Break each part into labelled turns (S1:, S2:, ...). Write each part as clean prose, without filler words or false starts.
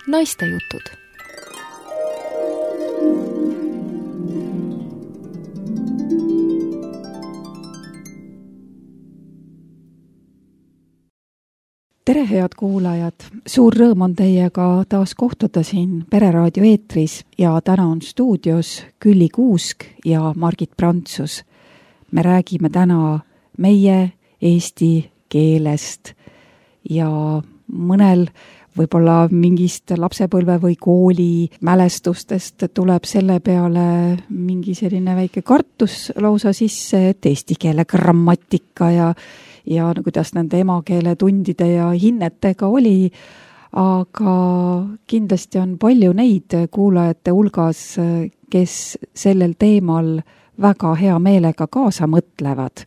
S1: Naistejutud.
S2: Tere, head kuulajad! Suur rõõm on teiega taas kohtuda siin Pereraadio eetris ja täna on stuudios Külli Kuusk ja Margit Prantsus. Me räägime täna meie eesti keelest ja mõnel võib-olla mingist lapsepõlve või kooli mälestustest tuleb selle peale mingi selline väike kartus lausa sisse, et eesti keele grammatika ja kuidas nende emakeele tundide ja hinnetega oli, aga kindlasti on palju neid kuulajate hulgas, kes sellel teemal väga hea meelega kaasa mõtlevad.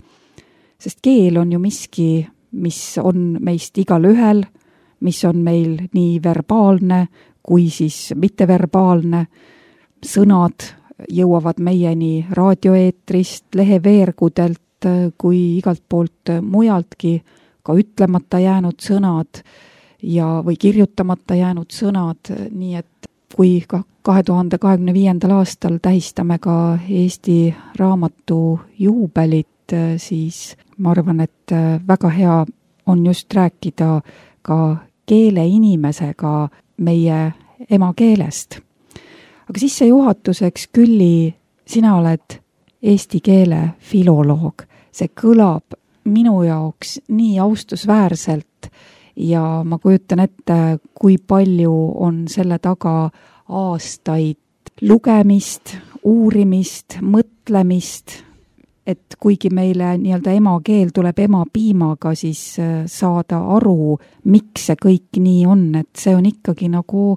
S2: Sest keel on ju miski, mis on meist igal ühel, mis on meil nii verbaalne kui siis mitteverbaalne. Sõnad jõuavad meieni raadioeetrist, leheveergudelt, kui igalt poolt mujaltki, ka ütlemata jäänud sõnad või kirjutamata jäänud sõnad, nii et kui 2025. aastal tähistame ka Eesti raamatu juubelit, siis ma arvan, et väga hea on just rääkida ka keeleinimesega meie emakeelest. Aga sissejuhatuseks, Külli, sina oled eesti keele filoloog. See kõlab minu jaoks nii austusväärselt ja ma kujutan ette, kui palju on selle taga aastaid lugemist, uurimist, mõtlemist, et kuigi meile nii-öelda emakeel tuleb emapiimaga, siis saada aru, miks see kõik nii on, et see on ikkagi nagu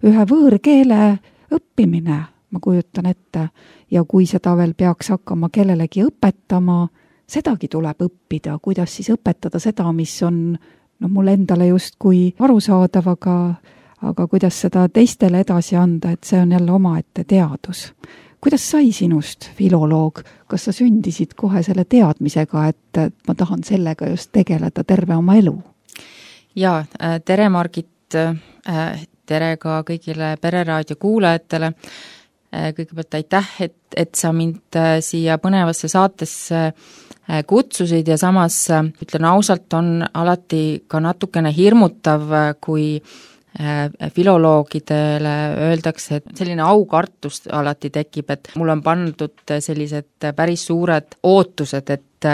S2: ühe võõrkeele õppimine, ma kujutan ette. Ja kui seda veel peaks hakkama kellelegi õpetama, sedagi tuleb õppida, kuidas siis õpetada seda, mis on mulle endale justkui arusaadav, aga kuidas seda teistele edasi anda, et see on jälle omaette teadus. Kuidas sai sinust filoloog? Kas sa sündisid kohe selle teadmisega, et ma tahan sellega just tegeleda terve oma elu?
S3: Ja, tere Margit, tere ka kõigile Pereraadio kuulajatele. Kõigepealt aitäh, et sa mind siia põnevasse saatesse kutsusid ja samas ütlen ausalt, on alati ka natukene hirmutav, kui filoloogidele öeldakse, et selline aukartus alati tekib, et mul on pandud sellised päris suured ootused, et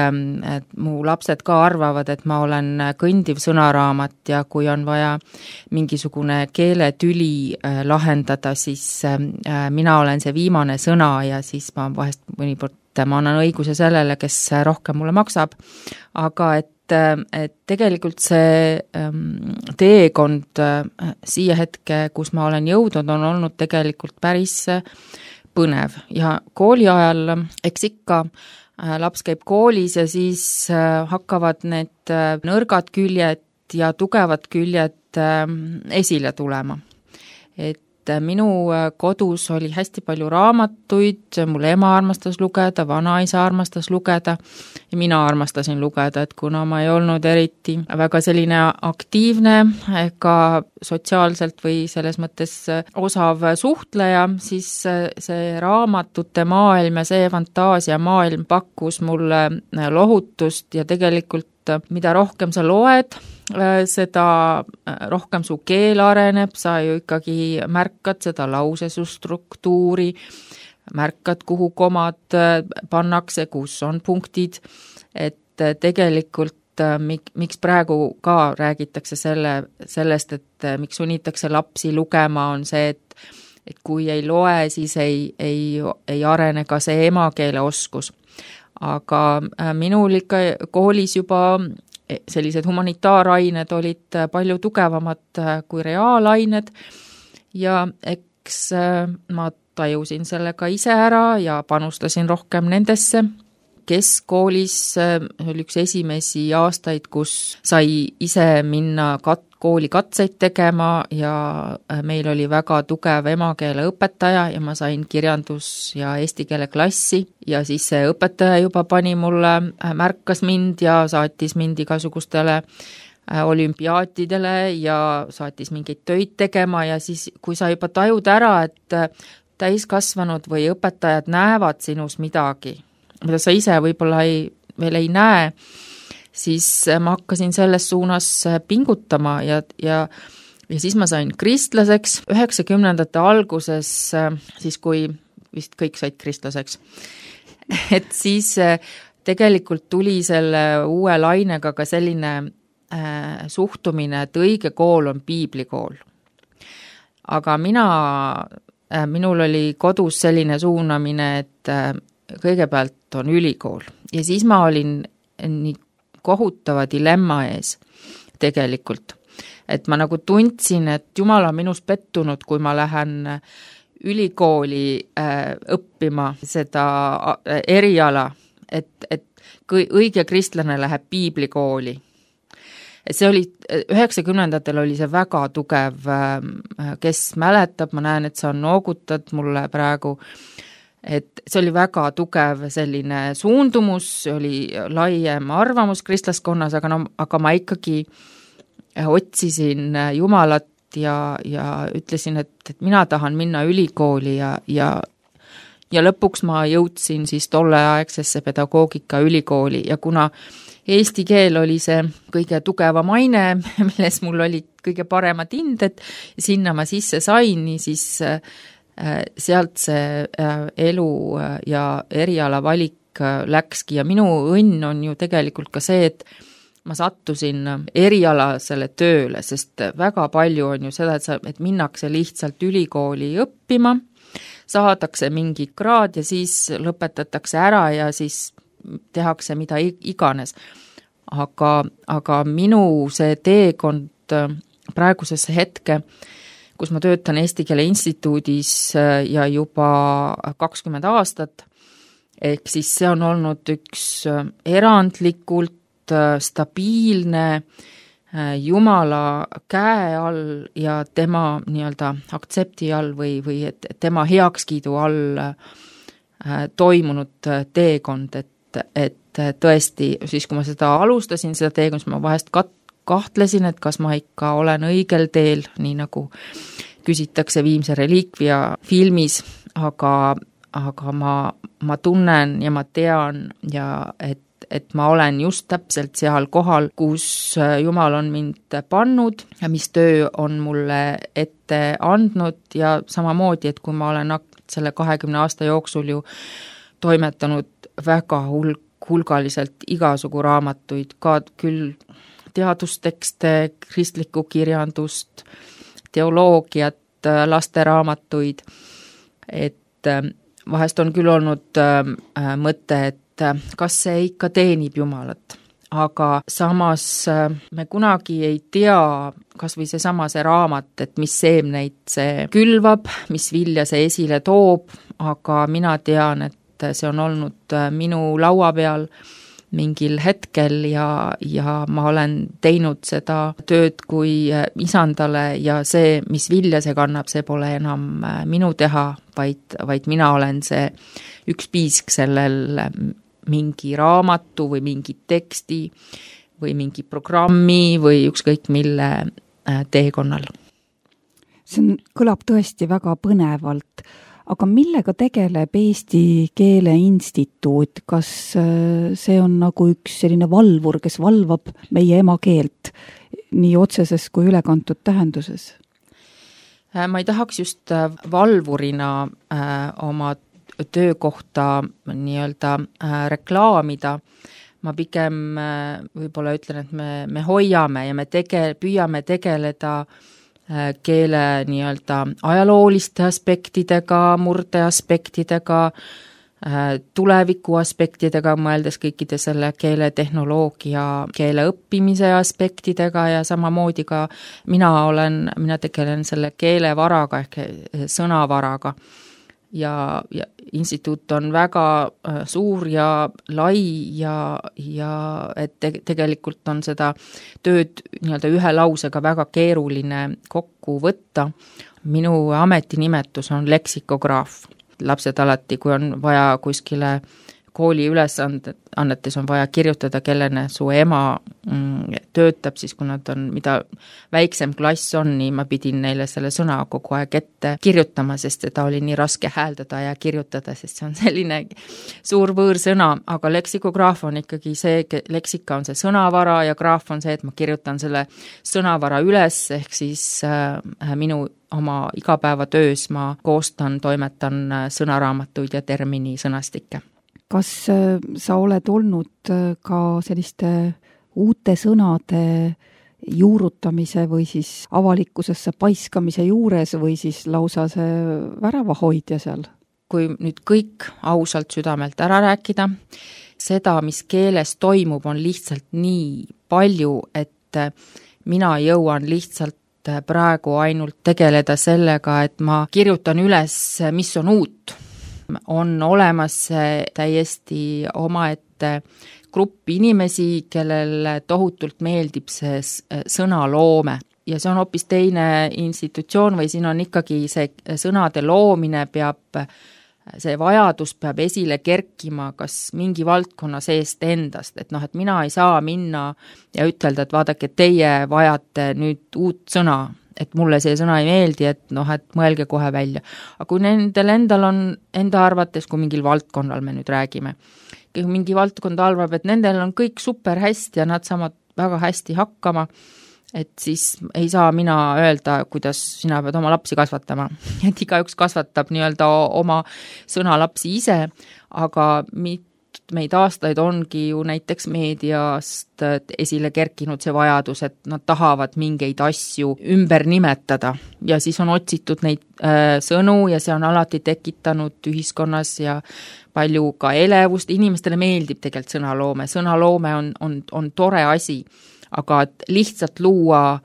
S3: mu lapsed ka arvavad, et ma olen kõndiv sõnaraamat ja kui on vaja mingisugune keeletüli lahendada, siis mina olen see viimane sõna ja siis ma vahest mõnikord ma annan õiguse sellele, kes rohkem mulle maksab, aga et tegelikult see teekond siia hetke, kus ma olen jõudnud, on olnud tegelikult päris põnev ja kooli ajal, eks ikka laps käib koolis ja siis hakkavad need nõrgad küljed ja tugevad küljed esile tulema. Et minu kodus oli hästi palju raamatuid, mul ema armastas lugeda, vanaisa armastas lugeda ja mina armastasin lugeda, et kuna ma ei olnud eriti väga selline aktiivne ega sotsiaalselt või selles mõttes osav suhtleja, siis see raamatute maailm ja see fantaasia maailm pakkus mulle lohutust ja tegelikult mida rohkem sa loed, seda rohkem su keel areneb, sa ju ikkagi märkad seda lausesu struktuuri, märkad, kuhu komad pannakse, kus on punktid, et tegelikult miks praegu ka räägitakse sellest, et miks sunnitakse lapsi lugema, on see, et kui ei loe, siis ei arene ka see emakeele oskus. Aga minul ikka koolis juba sellised humanitaarained olid palju tugevamad kui reaalained ja eks ma tajusin selle ka ise ära ja panustasin rohkem nendesse. Keskkoolis oli üks esimesi aastaid, kus sai ise minna kooli katseid tegema ja meil oli väga tugev emakeele õpetaja ja ma sain kirjandus- ja eesti keele klassi ja siis see õpetaja juba pani mulle, märkas mind ja saatis mind igasugustele olümpiaatidele ja saatis mingeid töid tegema ja siis, kui sa juba tajud ära, et täiskasvanud või õpetajad näevad sinus midagi, mida sa ise võib-olla veel ei näe, siis ma hakkasin selles suunas pingutama ja siis ma sain kristlaseks 90ndate alguses, siis kui vist kõik said kristlaseks. Et siis tegelikult tuli selle uue lainega ka selline suhtumine, et õige kool on piiblikool. Aga minul oli kodus selline suunamine, et kõigepealt on ülikool ja siis ma olin nii kohutava dilemma ees tegelikult. Et ma nagu tundsin, et Jumal on minus pettunud, kui ma lähen ülikooli õppima seda eriala, et õige kristlane läheb piiblikooli. Et see oli, 90ndatel oli see väga tugev, kes mäletab, ma näen, et sa noogutad mulle praegu, et see oli väga tugev selline suundumus, oli laiem arvamus kristlaskonnas, aga ma ikkagi otsisin Jumalat ja ütlesin, et mina tahan minna ülikooli ja lõpuks ma jõudsin siis tolleaegsesse pedagoogika ülikooli ja kuna eesti keel oli see kõige tugevam aine, milles mul olid kõige paremad hinded, sinna ma sisse sain, siis sealt see elu ja eriala valik läkski ja minu õnn on ju tegelikult ka see, et ma sattusin erialasele tööle, sest väga palju on ju seda, et minnakse lihtsalt ülikooli õppima, saadakse mingi kraad ja siis lõpetatakse ära ja siis tehakse mida iganes. Aga minu see teekond praegusesse hetke, kus ma töötan Eesti Keele Instituudis ja juba 20 aastat, ehk siis see on olnud üks erandlikult stabiilne Jumala käe all ja tema nii-öelda aktsepti all või et tema heakskiidu all toimunud teekond, et tõesti, siis kui ma seda alustasin, seda teekond, siis ma vahest kahtlesin, et kas ma ikka olen õigel teel, nii nagu küsitakse Viimse reliikvia filmis, aga ma tunnen ja ma tean ja et ma olen just täpselt seal kohal, kus Jumal on mind pannud ja mis töö on mulle ette andnud ja samamoodi, et kui ma olen selle 20 aasta jooksul ju toimetanud väga hulgaliselt igasugu raamatuid, ka küll teadustekste, kristlikku kirjandust, teoloogiat, lasteraamatuid, et vahest on küll olnud mõte, et kas see ikka teenib Jumalat, aga samas me kunagi ei tea, kas või see raamat, et mis seemneid see külvab, mis vilja see esile toob, aga mina tean, et see on olnud minu laua peal mingil hetkel ja ma olen teinud seda tööd kui isandale ja see, mis vilja see kannab, see pole enam minu teha, vaid mina olen see üks piisk sellel mingi raamatu või mingi teksti või mingi programmi või ükskõik mille teekonnal.
S2: See kõlab tõesti väga põnevalt, aga millega tegeleb Eesti Keele Instituut? Kas see on nagu üks selline valvur, kes valvab meie emakeelt nii otseses kui ülekantud tähenduses?
S3: Ma ei tahaks just valvurina oma töökohta nii-öelda reklaamida. Ma pigem võib-olla ütlen, et me hoiame ja me püüame tegeleda keele nii-öelda ajalooliste aspektidega, murdeaspektidega, tuleviku aspektidega, mõeldes kõikide selle keeletehnoloogia, keele õppimise aspektidega ja samamoodi ka mina tegelen selle keelevaraga ehk sõnavaraga. Ja instituut on väga suur ja lai ja et tegelikult on seda tööd nii-öelda ühe lausega väga keeruline kokku võtta. Minu ametinimetus on leksikograaf. Lapsed alati, kui on vaja kuskile kooli ülesannetes on vaja kirjutada, kellena su ema töötab, siis kui nad on, mida väiksem klass on, nii ma pidin neile selle sõna kogu aeg ette kirjutama, sest seda oli nii raske hääldada ja kirjutada, sest see on selline suur võõrsõna, aga leksikograaf on ikkagi see, leksika on see sõnavara ja graaf on see, et ma kirjutan selle sõnavara üles, ehk siis minu oma igapäevatöös ma koostan, toimetan sõnaraamatuid ja termini sõnastikke.
S2: Kas sa oled olnud ka selliste uute sõnade juurutamise või siis avalikkusesse paiskamise juures või siis lausa see väravahoidja seal?
S3: Kui nüüd kõik ausalt südamelt ära rääkida, seda, mis keeles toimub, on lihtsalt nii palju, et mina jõuan lihtsalt praegu ainult tegeleda sellega, et ma kirjutan üles, mis on uut. On olemas täiesti omaette grupp inimesi, kellel tohutult meeldib see sõnaloome. Ja see on hoopis teine institutsioon või siin on ikkagi see sõnade loomine see vajadus peab esile kerkima kas mingi valdkonna seest endast, et et mina ei saa minna ja ütelda, et vaadake, teie vajate nüüd uut sõna, et mulle see sõna ei meeldi, et et mõelge kohe välja. Aga kui nendel endal on enda arvates, kui mingil valdkonnal me nüüd räägime, kui mingi valdkond arvab, et nendel on kõik super hästi ja nad saavad väga hästi hakkama, et siis ei saa mina öelda, kuidas sina pead oma lapsi kasvatama. Et igaüks kasvatab nii-öelda oma sõnalapsi ise, aga meid aastaid ongi ju näiteks meediast esile kerkinud see vajadus, et nad tahavad mingeid asju ümber nimetada ja siis on otsitud neid sõnu ja see on alati tekitanud ühiskonnas ja palju ka elevust, inimestele meeldib tegelikult sõnaloome on tore asi, aga et lihtsalt luua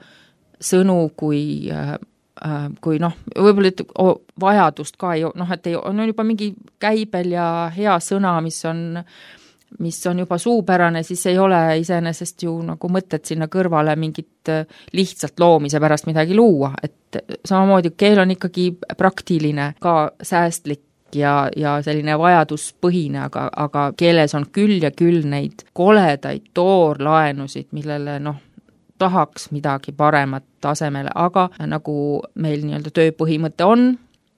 S3: sõnu kui võib-olla vajadust ka, et on juba mingi käibel ja hea sõna, mis on juba suupärane, siis ei ole iseenesest ju nagu mõtet sinna kõrvale mingit lihtsalt loomise pärast midagi luua, et samamoodi keel on ikkagi praktiline, ka säästlik ja selline vajaduspõhine, aga keeles on küll ja küll neid koledaid toorlaenusid, millele tahaks midagi paremat tasemele, aga nagu meil nii-öelda tööpõhimõte on,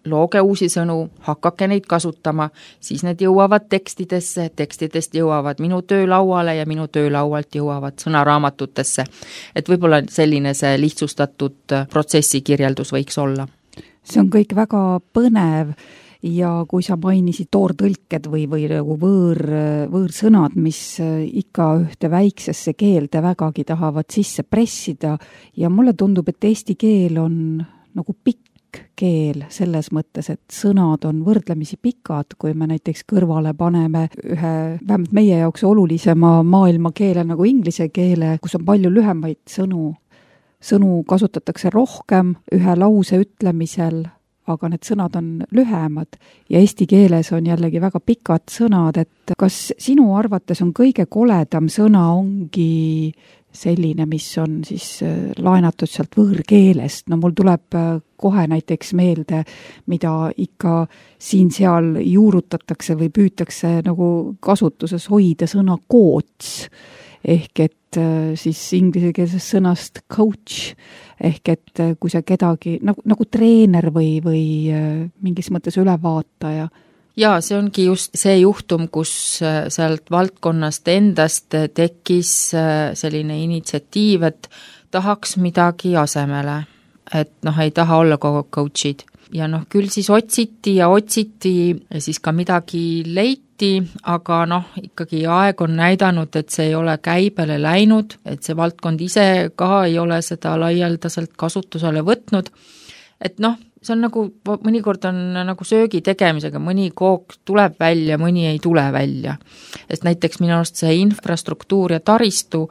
S3: looge uusi sõnu, hakake neid kasutama, siis need jõuavad tekstidesse, tekstidest jõuavad minu töölauale ja minu töölaualt jõuavad sõnaraamatutesse. Et võib-olla selline see lihtsustatud protsessi kirjeldus võiks olla.
S2: See on kõik väga põnev. Ja kui sa mainisid toortõlked või nagu võõrsõnad, mis ikka ühte väiksesse keelde vägagi tahavad sisse pressida ja mulle tundub, et eesti keel on nagu pikk keel selles mõttes, et sõnad on võrdlemisi pikad, kui me näiteks kõrvale paneme ühe vähemalt meie jaoks olulisema maailmakeele nagu inglise keele, kus on palju lühemaid sõnu. Sõnu kasutatakse rohkem ühe lause ütlemisel, aga need sõnad on lühemad ja eesti keeles on jällegi väga pikad sõnad, et kas sinu arvates on kõige koledam sõna ongi selline, mis on siis laenatud sealt võõrkeelest? Mul tuleb kohe näiteks meelde, mida ikka siin-seal juurutatakse või püütakse nagu kasutuses hoida sõna coach, ehk et siis inglisekeelsest sõnast coach, ehk et kui sa kedagi nagu treener või mingis mõttes ülevaataja.
S3: Ja see ongi just see juhtum, kus sealt valdkonnast endast tekkis selline initsiatiiv, et tahaks midagi asemele, et ei taha olla kogu coachid. Ja küll siis otsiti ja siis ka midagi leiti, aga ikkagi aeg on näidanud, et see ei ole käibele läinud, et see valdkond ise ka ei ole seda laialdaselt kasutusele võtnud, et see on nagu, mõnikord on nagu söögi tegemisega, mõni kook tuleb välja, mõni ei tule välja. Sest näiteks minu arust see infrastruktuur ja taristu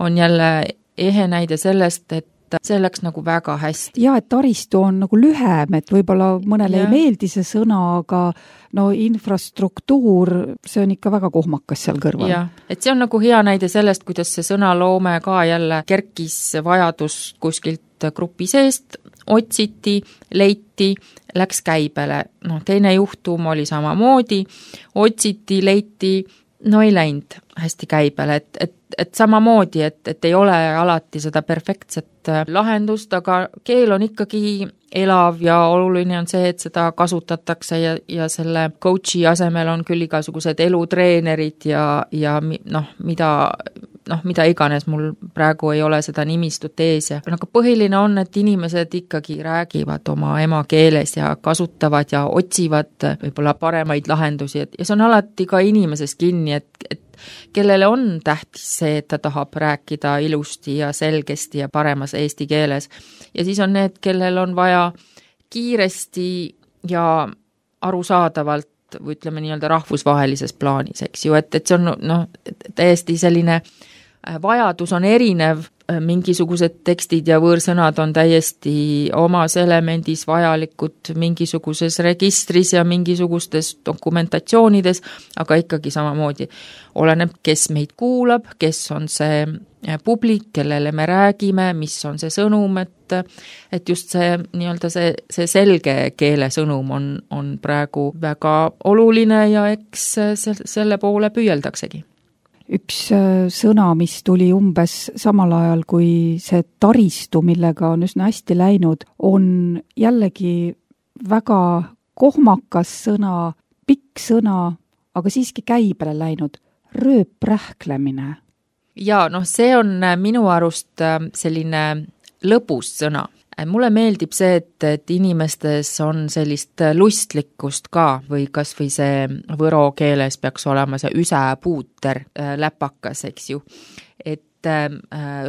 S3: on jälle ehe näide sellest, et see läks nagu väga hästi.
S2: Ja, et taristu on nagu lühem, et võib-olla mõnele ei meeldi see sõna, aga no infrastruktuur, see on ikka väga kohmakas seal kõrval.
S3: Ja, et see on nagu hea näide sellest, kuidas see sõnaloome ka jälle kerkis vajadus kuskilt grupi seest, otsiti, leiti, läks käibele. Teine juhtum oli samamoodi, otsiti, leiti, ei läinud hästi käibele, et samamoodi, et ei ole alati seda perfektset lahendust, aga keel on ikkagi elav ja oluline on see, et seda kasutatakse ja selle coachi asemel on küll igasugused elutreenerid ja mida iganes, mul praegu ei ole seda nimistut ees ja aga põhiline on, et inimesed ikkagi räägivad oma emakeeles ja kasutavad ja otsivad võib-olla paremaid lahendusi, ja see on alati ka inimesest kinni, et kellele on tähtis see, et ta tahab rääkida ilusti ja selgesti ja paremas eesti keeles. Ja siis on need, kellel on vaja kiiresti ja arusaadavalt või ütleme nii-öelda rahvusvahelises plaanis, eks ju, et see on täiesti selline vajadus on erinev, mingisugused tekstid ja võõrsõnad on täiesti omas elemendis vajalikud mingisuguses registris ja mingisugustes dokumentatsioonides, aga ikkagi samamoodi oleneb, kes meid kuulab, kes on see publik, kellele me räägime, mis on see sõnum, et just see nii-öelda see selge keele sõnum on praegu väga oluline ja eks selle poole püüeldaksegi.
S2: Üks sõna, mis tuli umbes samal ajal, kui see taristu, millega on üsna hästi läinud, on jällegi väga kohmakas sõna, pikk sõna, aga siiski käibele läinud, rööprähklemine. Ja
S3: see on minu arust selline lõbus sõna. Mulle meeldib see, et inimestes on sellist lustlikkust ka või kas või see võro keeles peaks olema see üsäpuuter läpakas, eks ju. Et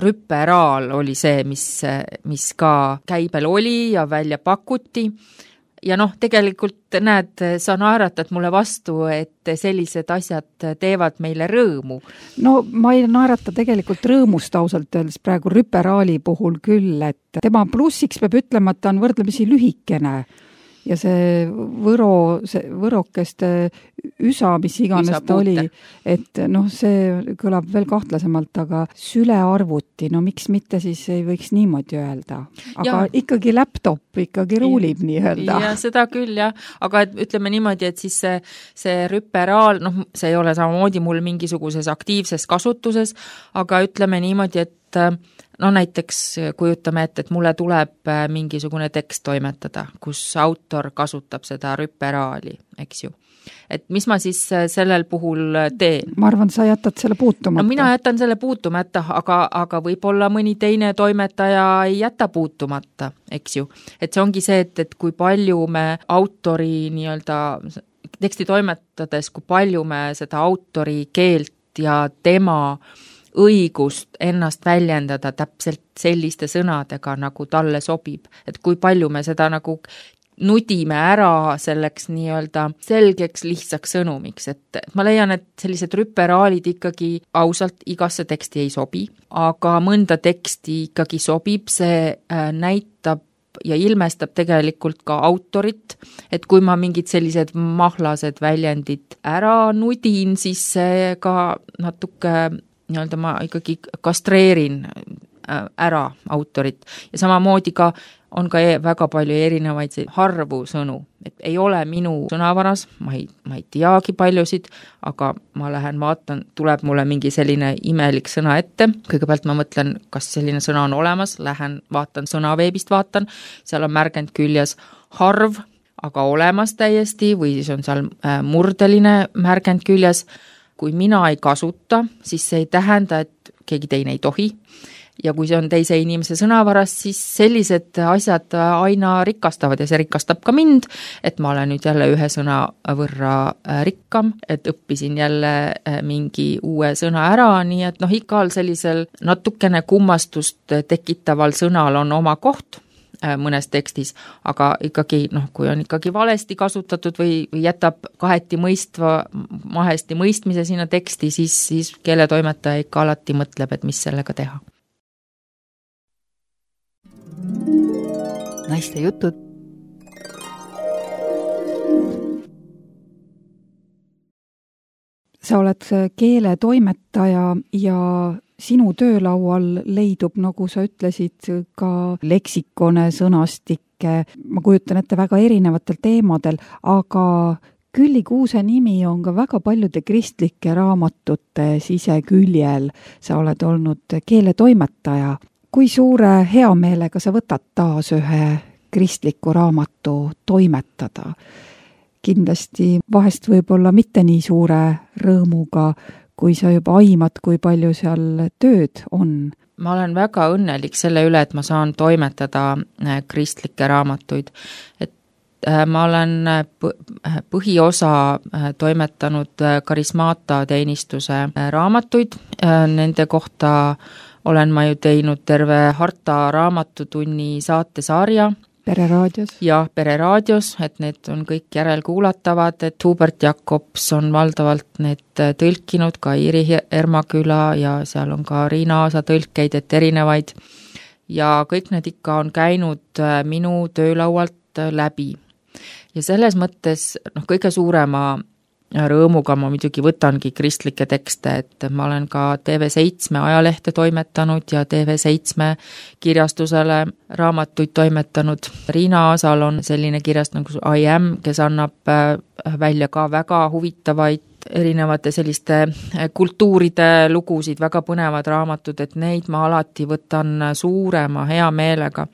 S3: rüpperaal oli see, mis ka käibel oli ja välja pakuti. Ja tegelikult näed, sa naeratad mulle vastu, et sellised asjad teevad meile rõõmu.
S2: Ma ei naerata tegelikult rõõmust ausalt öeldes praegu rüperaali puhul küll, et tema plussiks peab ütlema, et ta on võrdlemisi lühikene ja see võrokeste üsa, mis iganes ta oli, et see kõlab veel kahtlasemalt, aga sülearvuti, miks mitte siis ei võiks niimoodi öelda. Aga ikkagi laptop ikkagi ruulib nii öelda.
S3: Ja seda küll, jah. Aga ütleme niimoodi, et siis see rüperaal, see ei ole samamoodi mul mingisuguses aktiivses kasutuses, aga ütleme niimoodi, et näiteks kujutame ette, et mulle tuleb mingisugune tekst toimetada, kus autor kasutab seda rüperaali, eks ju. Et mis ma siis sellel puhul teen?
S2: Ma arvan, sa jätad selle puutumata.
S3: Mina jätan selle puutumata, aga võib-olla mõni teine toimetaja ei jäta puutumata, eks ju. Et see ongi see, et kui palju me autori nii-öelda teksti toimetades, kui palju me seda autori keelt ja tema õigust ennast väljendada täpselt selliste sõnadega, nagu talle sobib. Et kui palju me seda nagu nudime ära selleks nii-öelda selgeks lihtsaks sõnumiks, et ma leian, et sellised rüperaalid ikkagi ausalt igasse teksti ei sobi, aga mõnda teksti ikkagi sobib, see näitab ja ilmestab tegelikult ka autorit, et kui ma mingid sellised mahlased väljendid ära nudin, siis see ka natuke nii-öelda ma ikkagi kastreerin ära autorit ja samamoodi ka on ka väga palju erinevaid harvu sõnu, et ei ole minu sõnavaras, ma ei teagi paljusid, aga ma lähen vaatan, tuleb mulle mingi selline imelik sõna ette, kõigepealt ma mõtlen, kas selline sõna on olemas, lähen vaatan sõnaveebist, seal on märgend küljes harv, aga olemas täiesti või siis on seal murdeline märgend küljes. Kui mina ei kasuta, siis see ei tähenda, et keegi teine ei tohi. Ja kui see on teise inimese sõnavaras, siis sellised asjad aina rikastavad ja see rikastab ka mind, et ma olen nüüd jälle ühe sõna võrra rikkam, et õppisin jälle mingi uue sõna ära, nii et igal sellisel natukene kummastust tekitaval sõnal on oma koht mõnes tekstis, aga ikkagi, kui on ikkagi valesti kasutatud või jätab kaheti mahesti mõistmise sinna teksti, siis keeletoimetaja ikka alati mõtleb, et mis sellega teha.
S1: naiste jutud.
S2: Sa oled keeletoimetaja ja sinu töölaual leidub, nagu sa ütlesid, ka leksikone, sõnastikke, ma kujutan ette väga erinevatel teemadel, aga Külli Kuuse nimi on ka väga paljude kristlike raamatute siseküljel. Sa oled olnud keeletoimetaja. Kui suure heameelega sa võtad taas ühe kristliku raamatu toimetada? Kindlasti vahest võib-olla mitte nii suure rõõmuga, kui sa juba aimad, kui palju seal tööd on.
S3: Ma olen väga õnnelik selle üle, et ma saan toimetada kristlikke raamatuid. Et ma olen põhiosa toimetanud karismaata teenistuse raamatuid. Nende kohta olen ma ju teinud terve Harta raamatutunni saatesarja.
S2: Pereraadios.
S3: Ja Pereraadios, et need on kõik järelkuulatavad, et Hubert Jakobs on valdavalt need tõlkinud, ka Iiri Ermaküla ja seal on ka Riina Aasa tõlkeid, et erinevaid. Ja kõik need ikka on käinud minu töölaualt läbi. Ja selles mõttes kõige suurema rõõmuga ma muidugi võtangi kristlikke tekste, et ma olen ka TV7 ajalehte toimetanud ja TV7 kirjastusele raamatuid toimetanud. Riina Aasal on selline kirjast nagu I Am, kes annab välja ka väga huvitavaid erinevate selliste kultuuride lugusid, väga põnevad raamatud, et neid ma alati võtan suurema hea meelega.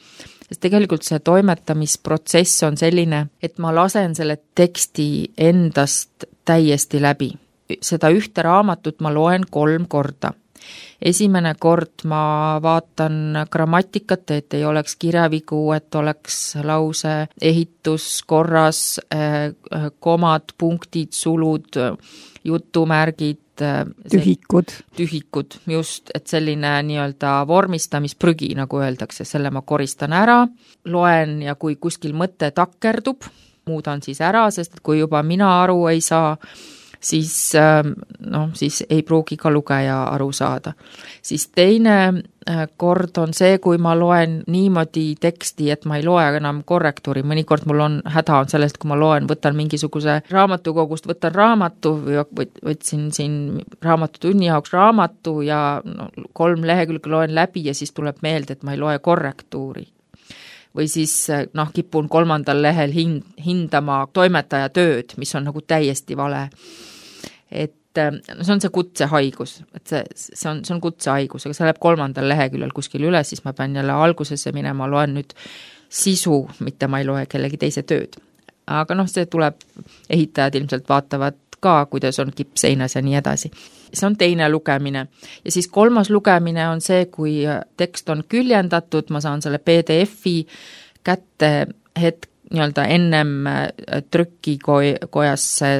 S3: Sest tegelikult see toimetamisprotsess on selline, et ma lasen selle teksti endast täiesti läbi. Seda ühte raamatut ma loen 3 korda. Esimene kord ma vaatan grammatikat, et ei oleks kirjavigu, et oleks lause ehitus korras, komad, punktid, sulud, jutumärgid, tühikud, just, et selline nii-öelda vormistamisprügi, nagu öeldakse, selle ma koristan ära, loen ja kui kuskil mõte takerdub, muudan siis ära, sest kui juba mina aru ei saa, siis ei pruugi ka lugeja aru saada. Siis teine kord on see, kui ma loen niimoodi teksti, et ma ei loe enam korrektuuri. Mõnikord mul on häda on sellest, kui ma loen, võtan mingisuguse raamatukogust, võtan raamatu või võtsin siin raamatutunni jaoks raamatu ja 3 lehekülge loen läbi ja siis tuleb meelde, et ma ei loe korrektuuri. Või siis kipun 3. lehel hindama toimetaja tööd, mis on nagu täiesti vale. Et see on see kutsehaigus, et see on kutsehaigus, aga see läheb 3. leheküljel kuskil üles, siis ma pean jälle algusesse minema, loen nüüd sisu, mitte ma ei loe kellegi teise tööd. Aga see tuleb, ehitajad ilmselt vaatavad ka, kuidas on kipseinas ja nii edasi. See on teine lugemine. Ja siis 3. lugemine on see, kui tekst on küljendatud, ma saan selle PDF-i kätte nii-öelda ennem trükikojasse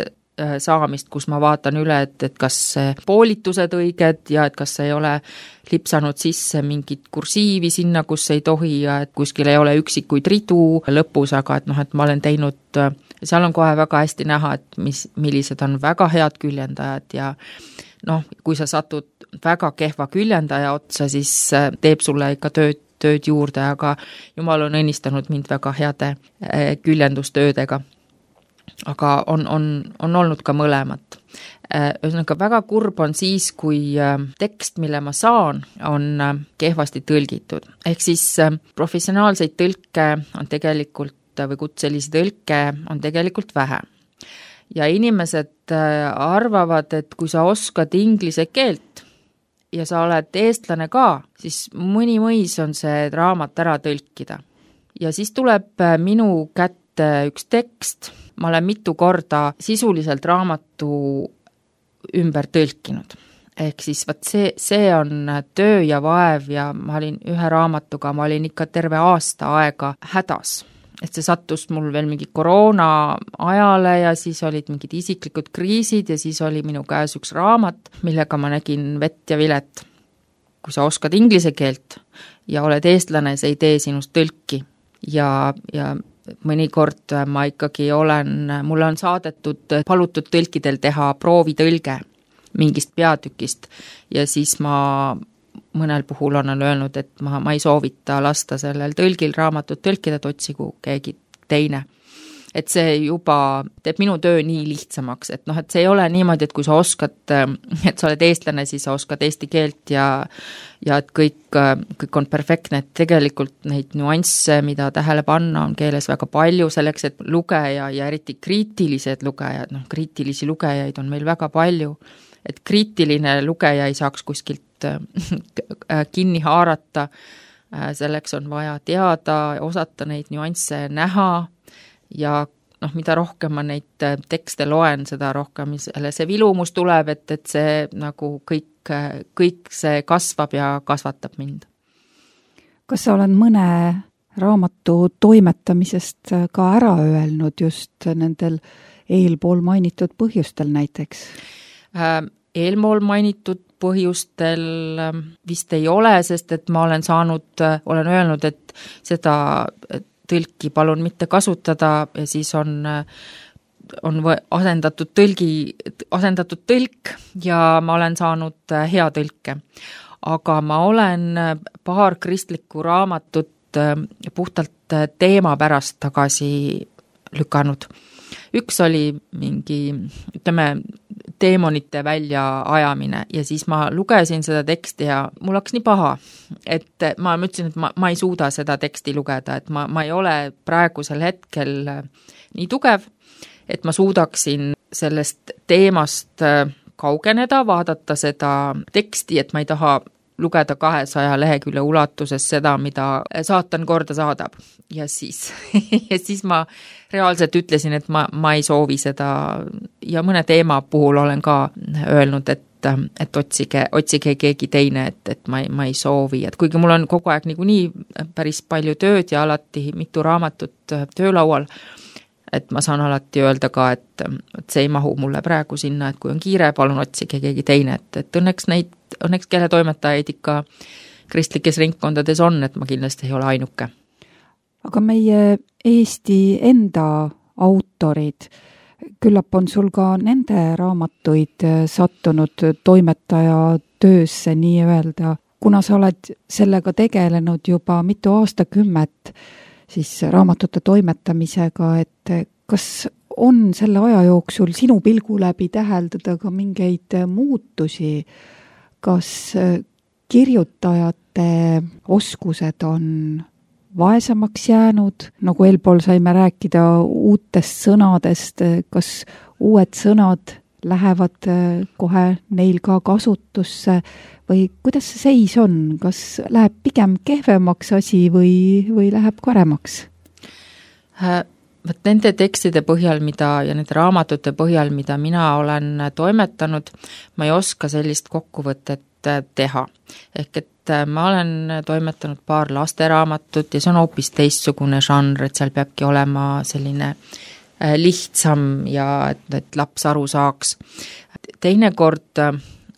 S3: saamist, kus ma vaatan üle, et kas poolitused õiged ja et kas ei ole lipsanud sisse mingit kursiivi sinna, kus ei tohi ja et kuskil ei ole üksikuid ridu lõpus, aga et ma olen teinud, seal on kohe väga hästi näha, et millised on väga head küljendajad ja kui sa satud väga kehva küljendaja otsa, siis teeb sulle ikka tööd juurde, aga Jumal on õnnistanud mind väga heade küljendustöödega. Aga on olnud ka mõlemat. Ühesõnaga väga kurb on siis, kui tekst, mille ma saan, on kehvasti tõlgitud. Ehk siis professionaalseid tõlke on tegelikult, või kutselisi tõlke on tegelikult vähe. Ja inimesed arvavad, et kui sa oskad inglise keelt ja sa oled eestlane ka, siis mõni mõis on see raamat ära tõlkida. Ja siis tuleb minu kätte üks tekst, ma olen mitu korda sisuliselt raamatu ümber tõlkinud. Ehk siis see on töö ja vaev ja ma olin ühe raamatuga, ma olin ikka terve aasta aega hädas. Et see sattus mul veel mingi koroona ajale ja siis olid mingid isiklikud kriisid ja siis oli minu käes üks raamat, millega ma nägin vett ja vilet. Kui sa oskad inglise keelt ja oled eestlane, see ei tee sinust tõlki ja mõnikord ma ikkagi mulle on saadetud, palutud tõlkidel teha proovitõlge mingist peatükist ja siis ma mõnel puhul on öelnud, et ma ei soovita lasta sellel tõlgil raamatut tõlkida, et otsigu keegi teine. Et see juba teeb minu töö nii lihtsamaks, et et see ei ole niimoodi, et kui sa oskad, et sa oled eestlane, siis sa oskad eesti keelt ja et kõik on perfektne, et tegelikult neid nüansse, mida tähele panna, on keeles väga palju selleks, et lugeja ja eriti kriitilised lugejad, kriitilisi lugejaid on meil väga palju, et kriitiline lugeja ei saaks kuskilt kinni haarata, selleks on vaja teada, osata neid nüansse näha ja mida rohkem ma neid tekste loen, seda rohkem see vilumus tuleb, et see nagu kõik see kasvab ja kasvatab mind.
S2: Kas sa oled mõne raamatu toimetamisest ka ära öelnud just nendel eelpool mainitud põhjustel näiteks?
S3: Eelpool mainitud põhjustel vist ei ole, sest et ma olen öelnud, et seda tõlki palun mitte kasutada ja siis on asendatud tõlk ja ma olen saanud hea tõlke. Aga ma olen paar kristlikku raamatut puhtalt teema pärast tagasi lükanud. Üks oli mingi, teemonite väljaajamine ja siis ma lugesin seda teksti ja mul hakkas nii paha, et ma ütlesin, et ma ei suuda seda teksti lugeda, et ma ei ole praegusel hetkel nii tugev, et ma suudaksin sellest teemast kaugeneda, vaadata seda teksti, et ma ei taha lugeda 200 lehekülje ulatuses seda, mida saatan korda saadab. Ja siis ma reaalselt ütlesin, et ma ei soovi seda ja mõne teema puhul olen ka öelnud, et otsige keegi teine, et ma ei soovi. Et kuigi mul on kogu aeg nii päris palju tööd ja alati mitu raamatut töölaual, et ma saan alati öelda ka, et see ei mahu mulle praegu sinna, et kui on kiire, palun otsige keegi teine, et õnneks keeletoimetajaid ikka kristlikes ringkondades on, et ma kindlasti ei ole ainuke.
S2: Aga meie Eesti enda autorid, küllap on sul ka nende raamatuid sattunud toimetaja töösse nii-öelda, kuna sa oled sellega tegelenud juba mitu aastakümmet, siis raamatute toimetamisega, et kas on selle aja jooksul sinu pilgu läbi täheldada ka mingeid muutusi, kas kirjutajate oskused on vaesemaks jäänud, nagu eelpool saime rääkida uutest sõnadest, kas uued sõnad lähevad kohe neil ka kasutusse või kuidas see seis on, kas läheb pigem kehvemaks asi või läheb paremaks?
S3: Nende tekstide põhjal, ja nende raamatute põhjal, mida mina olen toimetanud, ma ei oska sellist kokkuvõtet teha. Ehk et ma olen toimetanud paar lasteraamatut ja see on hoopis teistsugune žanr, et seal peabki olema selline lihtsam ja et laps aru saaks. Teinekord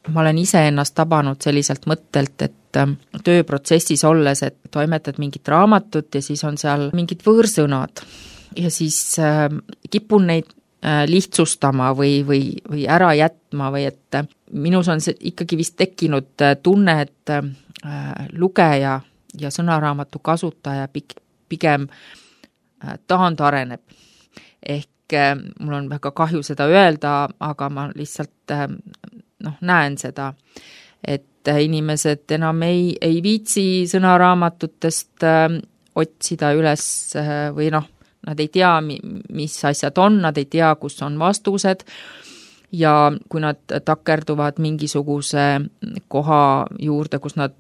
S3: ma olen ise ennast tabanud selliselt mõttelt, et tööprotsessis olles, et toimetad mingit raamatut ja siis on seal mingid võõrsõnad ja siis kipun neid lihtsustama või ära jätma või et minus on see ikkagi vist tekkinud tunne, et lugeja ja sõnaraamatu kasutaja pigem taandareneb. Ehk mul on väga kahju seda öelda, aga ma lihtsalt näen seda, et inimesed enam ei viitsi sõnaraamatutest otsida üles või nad ei tea, mis asjad on, nad ei tea, kus on vastused ja kui nad takerduvad mingisuguse koha juurde, kus nad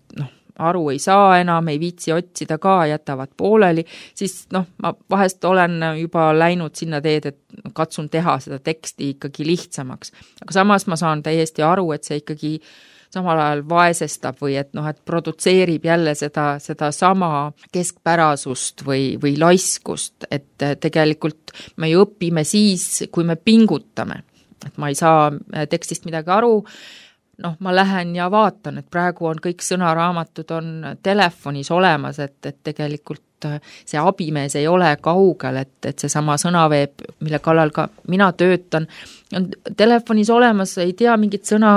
S3: aru ei saa enam, ei viitsi otsida ka, jätavad pooleli, siis ma vahest olen juba läinud sinna teed, et katsun teha seda teksti ikkagi lihtsamaks. Aga samas ma saan täiesti aru, et see ikkagi samal ajal vaesestab või et produtseerib jälle seda sama keskpärasust või laiskust, et tegelikult me ju õpime siis, kui me pingutame. Et ma ei saa tekstist midagi aru, ma lähen ja vaatan, et praegu on kõik sõnaraamatud on telefonis olemas, et tegelikult see abimees ei ole kaugel, et see sama sõnaveeb, mille kallal ka mina töötan, on telefonis olemas, ei tea mingit sõna,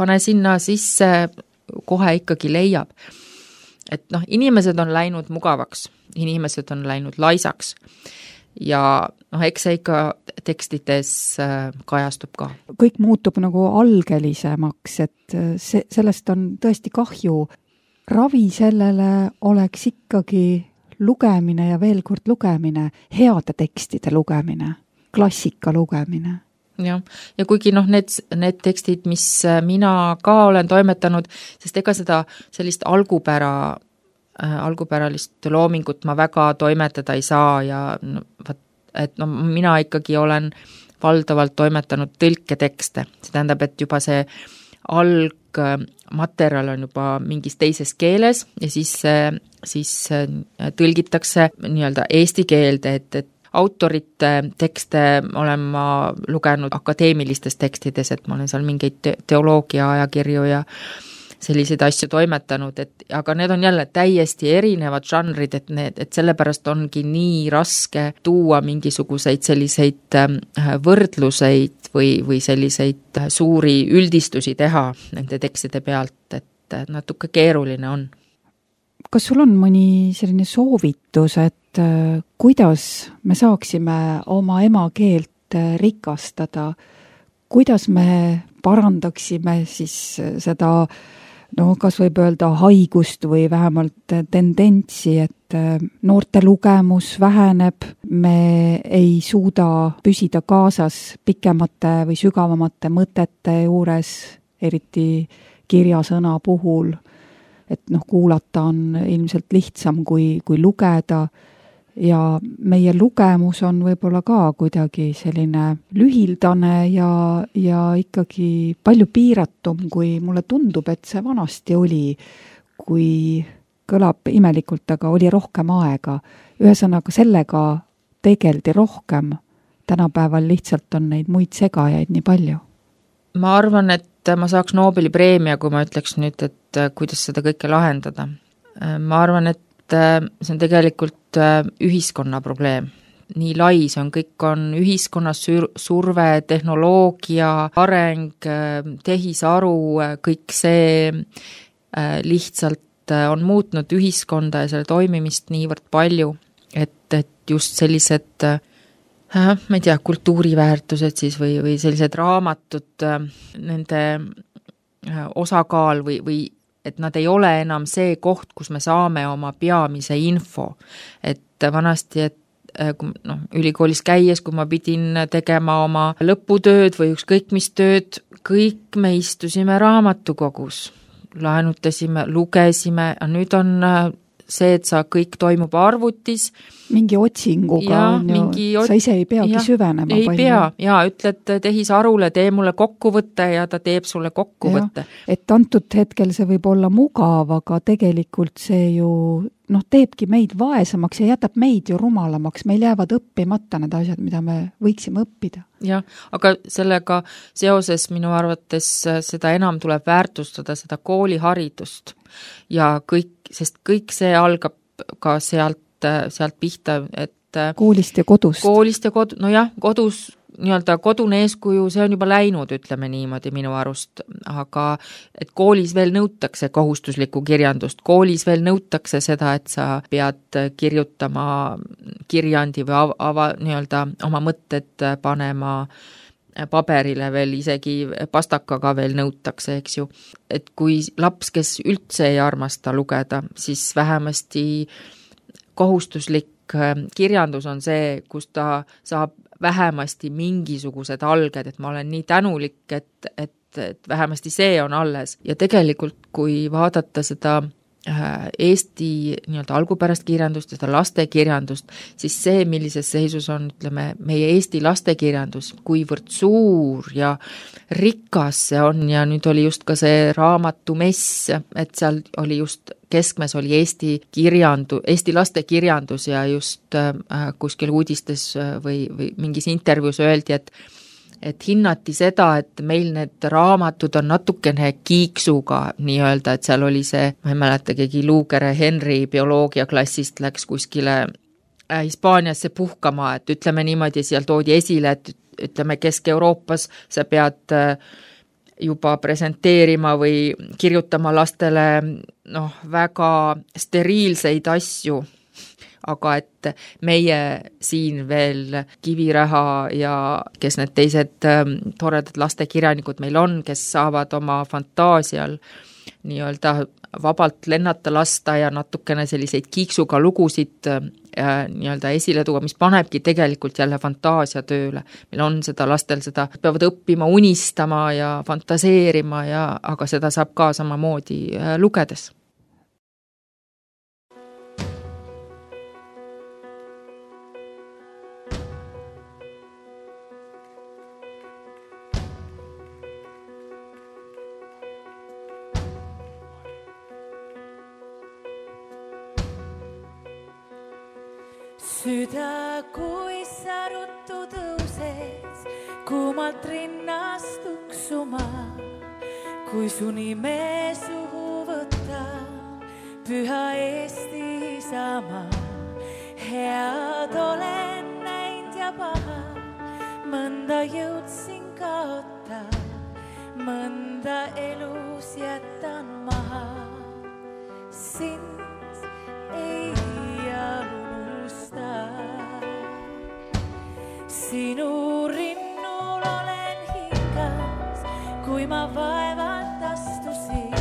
S3: pane sinna sisse, kohe ikkagi leiab. Et noh, inimesed on läinud mugavaks, inimesed on läinud laisaks ja noh, eks see ikka tekstides kajastub ka.
S2: Kõik muutub nagu algelisemaks, et sellest on tõesti kahju. Ravi sellele oleks ikkagi lugemine ja veel kord lugemine, heade tekstide lugemine, klassika lugemine.
S3: Ja kuigi noh, need tekstid, mis mina ka olen toimetanud, sest ega seda sellist algupäralist loomingut ma väga toimetada ei saa ja mina ikkagi olen valdavalt toimetanud tõlketekste. See tähendab, et juba see algmaterjal on juba mingis teises keeles ja siis tõlgitakse nii-öelda eesti keelde, et autorite tekste olen ma lugenud akadeemilistes tekstides, et ma olen seal mingeid teoloogia ajakirju ja selliseid asju toimetanud, aga need on jälle täiesti erinevad žanrid, et sellepärast ongi nii raske tuua mingisuguseid selliseid võrdluseid või selliseid suuri üldistusi teha nende tekstide pealt, et natuke keeruline on.
S2: Kas sul on mõni selline soovitus, et kuidas me saaksime oma emakeelt rikastada, kuidas me parandaksime siis seda, kas võib öelda haigust või vähemalt tendentsi, et noorte lugemus väheneb, me ei suuda püsida kaasas pikemate või sügavamate mõtete juures, eriti kirjasõna puhul, et kuulata on ilmselt lihtsam kui lugeda ja meie lugemus on võib-olla ka kuidagi selline lühildane ja ikkagi palju piiratum, kui mulle tundub, et see vanasti oli, kui kõlab imelikult, aga oli rohkem aega. Ühesõnaga sellega tegeldi rohkem, tänapäeval lihtsalt on neid muid segajaid nii palju.
S3: Ma arvan, et ma saaks Nobeli preemia, kui ma ütleks nüüd, et kuidas seda kõike lahendada. Ma arvan, et see on tegelikult ühiskonna probleem. Nii lai see on, kõik on ühiskonnas surve, tehnoloogia, areng, tehisaru, kõik see lihtsalt on muutnud ühiskonda ja selle toimimist niivõrd palju, et just sellised ma ei tea, kultuuriväärtused siis või sellised raamatud, nende osakaal või et nad ei ole enam see koht, kus me saame oma peamise info. Et vanasti, ülikoolis käies, kui ma pidin tegema oma lõputööd või ükskõik mis tööd, kõik me istusime raamatukogus, laenutasime, lugesime, nüüd on see, et kõik toimub arvutis.
S2: Mingi otsinguga sa ise ei peagi süvenema
S3: ei palju. Ütled tehisarule, tee mulle kokkuvõtte ja ta teeb sulle kokkuvõtte.
S2: Et antud hetkel see võib olla mugav, aga tegelikult see ju teebki meid vaesemaks ja jätab meid ju rumalamaks. Meil jäävad õppimata need asjad, mida me võiksime õppida.
S3: Jah, aga sellega seoses minu arvates seda enam tuleb väärtustada, seda kooliharidust ja sest kõik see algab ka sealt pihta, et
S2: koolist ja kodust.
S3: Kodus nii-öelda kodune eeskuju, see on juba läinud, ütleme niimoodi minu arust, aga et koolis veel nõutakse kohustuslikku kirjandust, koolis veel nõutakse seda, et sa pead kirjutama kirjandi või nii-öelda oma mõtted panema paberile veel, isegi pastakaga veel nõutakse, eks ju. Et kui laps, kes üldse ei armasta lugeda, siis vähemasti kohustuslik kirjandus on see, kus ta saab vähemasti mingisugused alged, et ma olen nii tänulik, et vähemasti see on alles. Ja tegelikult, kui vaadata seda Eesti nii-öelda algupärast kirjandust ja seda lastekirjandust, siis see, millises seisus on, ütleme, meie Eesti lastekirjandus, kuivõrd suur ja rikas see on ja nüüd oli just ka see raamatumess, et seal oli just keskmes oli Eesti lastekirjandus ja just kuskil uudistes või mingis intervjuus öeldi, et hinnati seda, et meil need raamatud on natukene kiiksuga nii-öelda, et seal oli see, ma ei mäleta, keegi Luugere Henry bioloogiaklassist läks kuskile Hispaaniasse puhkama, et ütleme niimoodi, seal toodi esile, et ütleme Kesk-Euroopas sa pead juba presenteerima või kirjutama lastele väga steriilseid asju, aga et meie siin veel Kiviräha ja kes need teised toredad lastekirjanikud meil on, kes saavad oma fantaasial nii-öelda vabalt lennata lasta ja natukene selliseid kiiksuga lugusid nii-öelda esile tuua, mis panebki tegelikult jälle fantaasia tööle. Meil on seda lastel, seda peavad õppima, unistama ja fantaseerima, aga seda saab ka samamoodi lugedes.
S1: Süda, kui sa ruttu tõuses, kuumalt rinnast tuksuma, kui su nime suhu võtta, püha Eesti Isamaa. Head olen näinud ja paha, mõnda jõudsin kaota, mõnda elus jätan maha. Sind ei sinu rinnul olen hingas, kui ma vaevalt astusin.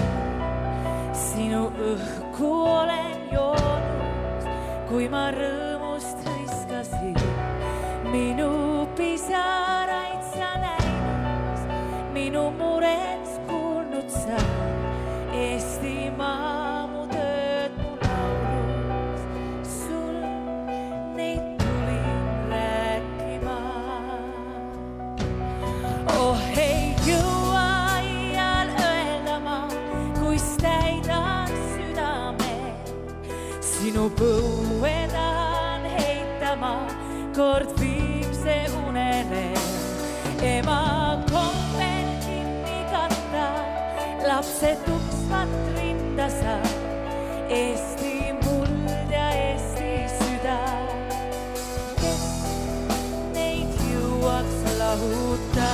S1: Sinu õhku olen joonud, kui ma rõõmust hõiskasin. Minu pisaraid sa näinud, minu murets kuulnud sa. Eestimaa mu tööd mu laulus, sul neid tulin rääkima. Oh, ei jõua iial öelda ma, kuis täidan südame. Sinu põue tahan heitama, kord viimse unele. Ema kombel kinni katta, lapsed tuksvat rinda sa. Eesti muld ja Eesti süda, kes neid jõuaks lahuta.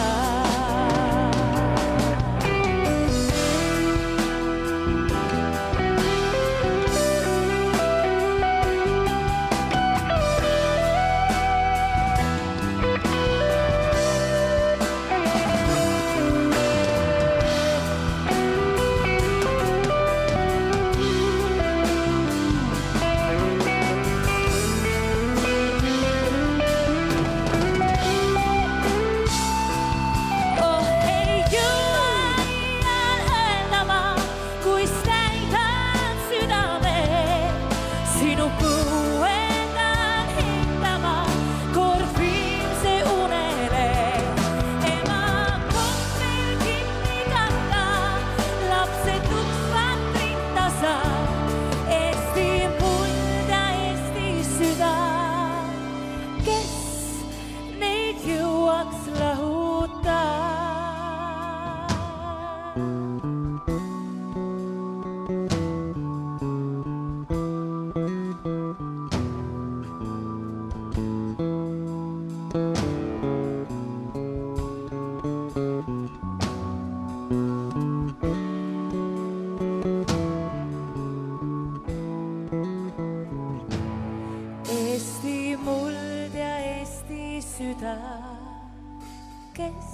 S1: Kes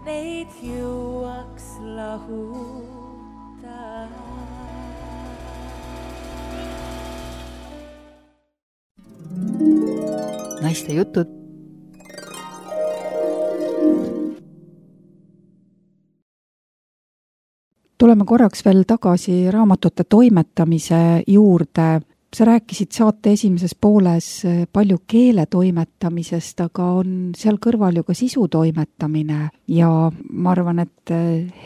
S1: neid jõuaks lahuta.
S2: Naiste jutud. Tuleme korraks veel tagasi raamatute toimetamise juurde. Sa rääkisid saate esimeses pooles palju keele toimetamisest, aga on seal kõrval ju ka sisu toimetamine ja ma arvan, et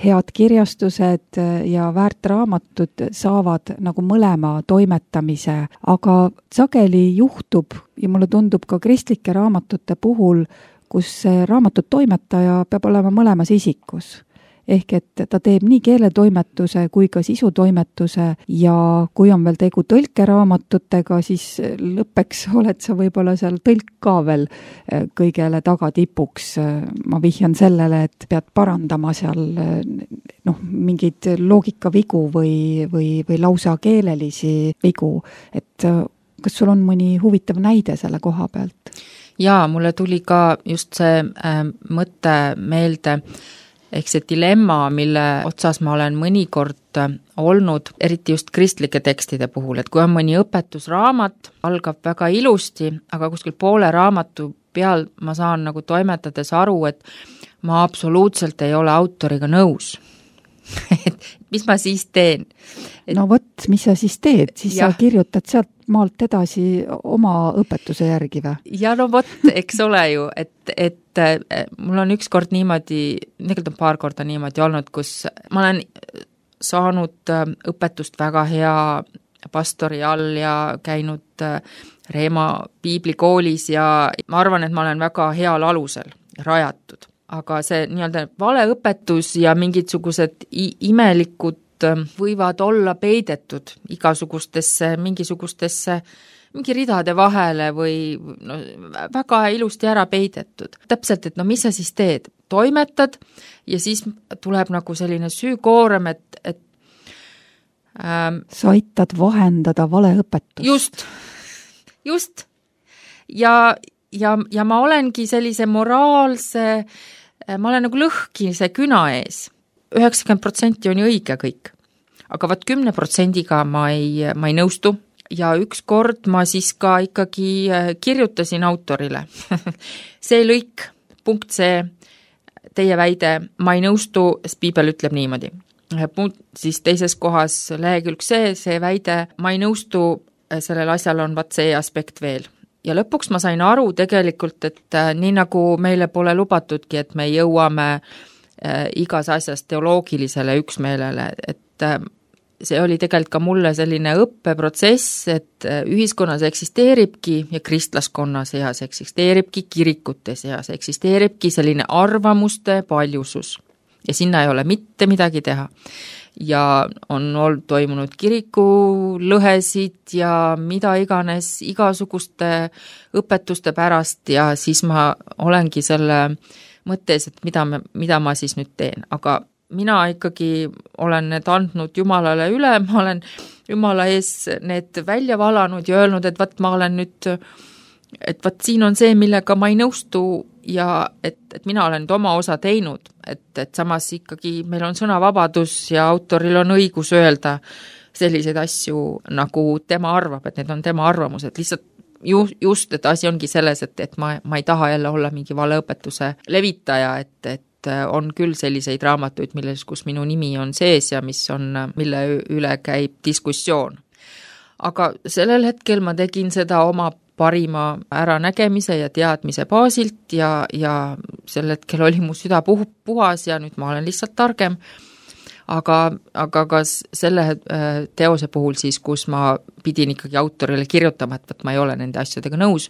S2: head kirjastused ja väärtraamatud saavad nagu mõlema toimetamise, aga sageli juhtub ja mulle tundub ka kristlike raamatute puhul, kus raamatut toimetaja peab olema mõlemas isikus. ehk et ta teeb nii keeletoimetuse kui ka sisutoimetuse ja kui on veel tegu tõlkeraamatutega, siis lõppeks oled sa võib-olla seal tõlk ka veel kõigele tagatipuks. Ma vihjan sellele, et pead parandama seal mingeid loogikavigu või lausa keelelisi vigu, et kas sul on mõni huvitav näide selle koha pealt?
S3: Jaa, mulle tuli ka just see mõte meelde, ehk see dilemma, mille otsas ma olen mõnikord olnud, eriti just kristlike tekstide puhul, et kui on mõni õpetusraamat, algab väga ilusti, aga kuskil poole raamatu peal ma saan nagu toimetades aru, et ma absoluutselt ei ole autoriga nõus. Et mis ma siis teen?
S2: No vot, mis sa siis teed? Siis sa kirjutad sealt maalt edasi oma õpetuse järgi või?
S3: Ja no vot, eks ole ju, et mul on ükskord niimoodi, tegelikult on paar korda niimoodi olnud, kus ma olen saanud õpetust väga hea pastori all ja käinud Reema piiblikoolis ja ma arvan, et ma olen väga heal alusel rajatud. Aga see nii-öelda valeõpetus ja mingisugused imelikud võivad olla peidetud mingisugustesse mingi ridade vahele või väga ilusti ära peidetud. Täpselt, et mis sa siis teed? Toimetad ja siis tuleb nagu selline süükoorem, et
S2: sa aitad vahendada valeõpetust.
S3: Just. Ja ma olengi sellise moraalse, ma olen nagu lõhkise küna ees. 90% on ju õige kõik. Aga 10%-ga ma ei nõustu ja üks kord ma siis ka ikkagi kirjutasin autorile. See lõik, punkt see, teie väide, ma ei nõustu, piibel ütleb niimoodi. Punkt siis teises kohas lehekülg see väide, ma ei nõustu, sellel asjal on see aspekt veel. Ja lõpuks ma sain aru tegelikult, et nii nagu meile pole lubatudki, et me jõuame igas asjas teoloogilisele üksmeelele, et see oli tegelikult ka mulle selline õppeprotsess, et ühiskonnas eksisteeribki ja kristlaskonna seas eksisteeribki kirikute seas, eksisteeribki selline arvamuste paljusus ja sinna ei ole mitte midagi teha. Ja on toimunud kirikulõhesid ja mida iganes igasuguste õpetuste pärast ja siis ma olengi selle mõttes, et mida ma siis nüüd teen, aga mina ikkagi olen need andnud Jumalale üle, ma olen Jumala ees need välja valanud ja öelnud, et ma olen nüüd, et siin on see, millega ma ei nõustu ja et mina olen nüüd oma osa teinud, et samas ikkagi meil on sõnavabadus ja autoril on õigus öelda selliseid asju, nagu tema arvab, et need on tema arvamused, lihtsalt just, et asi ongi selles, et ma ei taha jälle olla mingi valeõpetuse levitaja, et on küll selliseid raamatuid, kus minu nimi on sees ja mille üle käib diskussioon. Aga sellel hetkel ma tegin seda oma parima äranägemise ja teadmise baasilt ja sel hetkel oli mu süda puhas ja nüüd ma olen lihtsalt targem. Aga ka selle teose puhul siis, kus ma pidin ikkagi autorile kirjutama, et ma ei ole nende asjadega nõus,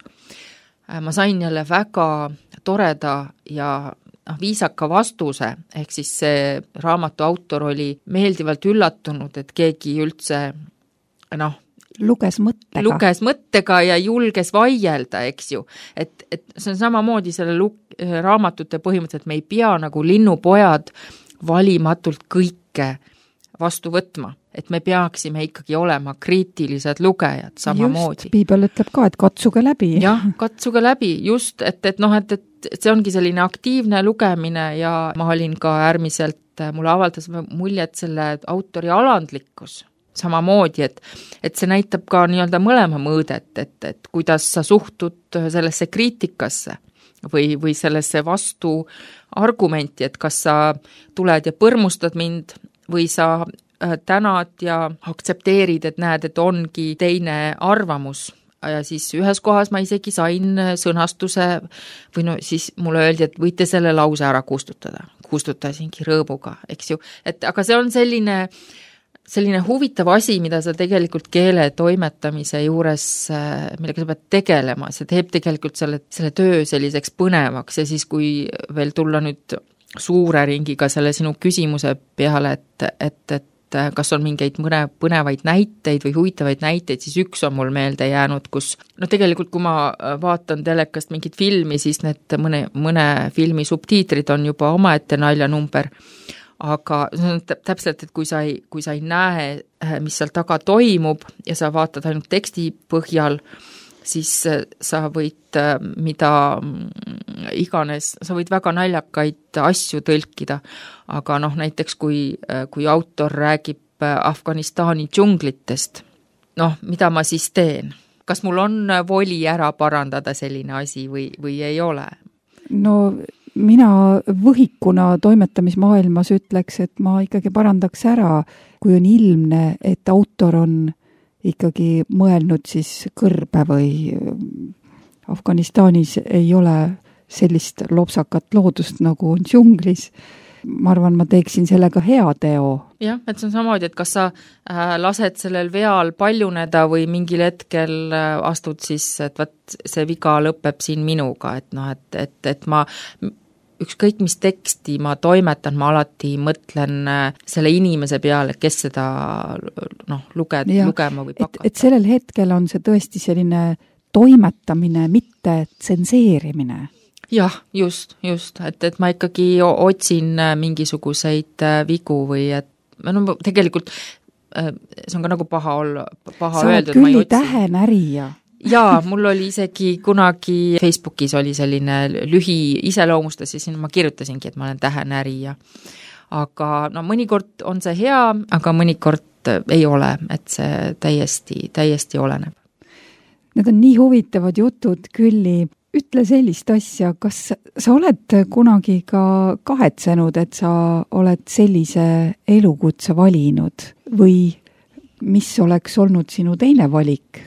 S3: ma sain jälle väga toreda ja viisaka vastuse, ehk siis see raamatu autor oli meeldivalt üllatunud, et keegi üldse
S2: luges
S3: mõttega ja julges vaielda, eks ju. Et see on samamoodi selle raamatute põhimõtteliselt, me ei pea nagu linnupojad valimatult kõike vastu võtma, et me peaksime ikkagi olema kriitilised lugejad samamoodi.
S2: Just, piibel ütleb ka, et katsuge läbi.
S3: Jah, katsuge läbi, just, et see ongi selline aktiivne lugemine ja ma olin ka äärmiselt, mulle avaldas muljet selle autori alandlikkus samamoodi, et see näitab ka nii-öelda mõlema mõõdet, et kuidas sa suhtud sellesse kriitikasse või sellesse vastu argumenti, et kas sa tuled ja põrmustad mind või sa tänad ja aktsepteerid, et näed, et ongi teine arvamus. Ja siis ühes kohas ma isegi sain sõnastuse või siis mulle öeldi, et võite selle lause ära kustutada. Kustutasingi rõõmuga, eks ju. Aga see on selline huvitav asi, mida sa tegelikult keele toimetamise juures, millega sa pead tegelema, see teeb tegelikult selle töö selliseks põnevaks ja siis, kui veel tulla nüüd suure ringiga selle sinu küsimuse peale, et kas on mingeid põnevaid näiteid või huvitavaid näiteid, siis üks on mul meelde jäänud, kus tegelikult kui ma vaatan telekast mingit filmi, siis need mõne filmi subtiitrid on juba omaette naljanumber, aga täpselt, et kui sa ei näe, mis seal taga toimub ja sa vaatad ainult teksti põhjal, siis sa võid mida iganes, sa võid väga naljakaid asju tõlkida, aga näiteks kui autor räägib Afganistani džunglitest, mida ma siis teen? Kas mul on voli ära parandada selline asi või ei ole?
S2: No mina võhikuna toimetamismaailmas ütleks, et ma ikkagi parandaks ära, kui on ilmne, et autor on ikkagi mõelnud siis kõrbe või Afganistanis ei ole sellist lopsakat loodust, nagu on džunglis. Ma arvan, ma teeksin sellega hea teo.
S3: Jah, et see on samamoodi, et kas sa lased sellel veal paljuneda või mingil hetkel astud siis, et võt, see viga lõpeb siin minuga, et ma ükskõik mis teksti ma toimetan, ma alati mõtlen selle inimese peale, kes seda lugema või pakata.
S2: Et sellel hetkel on see tõesti selline toimetamine, mitte tsenseerimine.
S3: Jah, just, et ma ikkagi otsin mingisuguseid vigu või et tegelikult see on ka nagu paha olla, paha
S2: sa
S3: öeldud.
S2: Sa oled küll tähenärija.
S3: Jaa, mul oli isegi kunagi Facebookis oli selline iseloomustus ja siin ma kirjutasingi, et ma olen tähenärija. Aga mõnikord on see hea, aga mõnikord ei ole, et see täiesti oleneb.
S2: Need on nii huvitavad jutud, Külli. Ütle sellist asja, kas sa oled kunagi ka kahetsenud, et sa oled sellise elukutse valinud või mis oleks olnud sinu teine valik?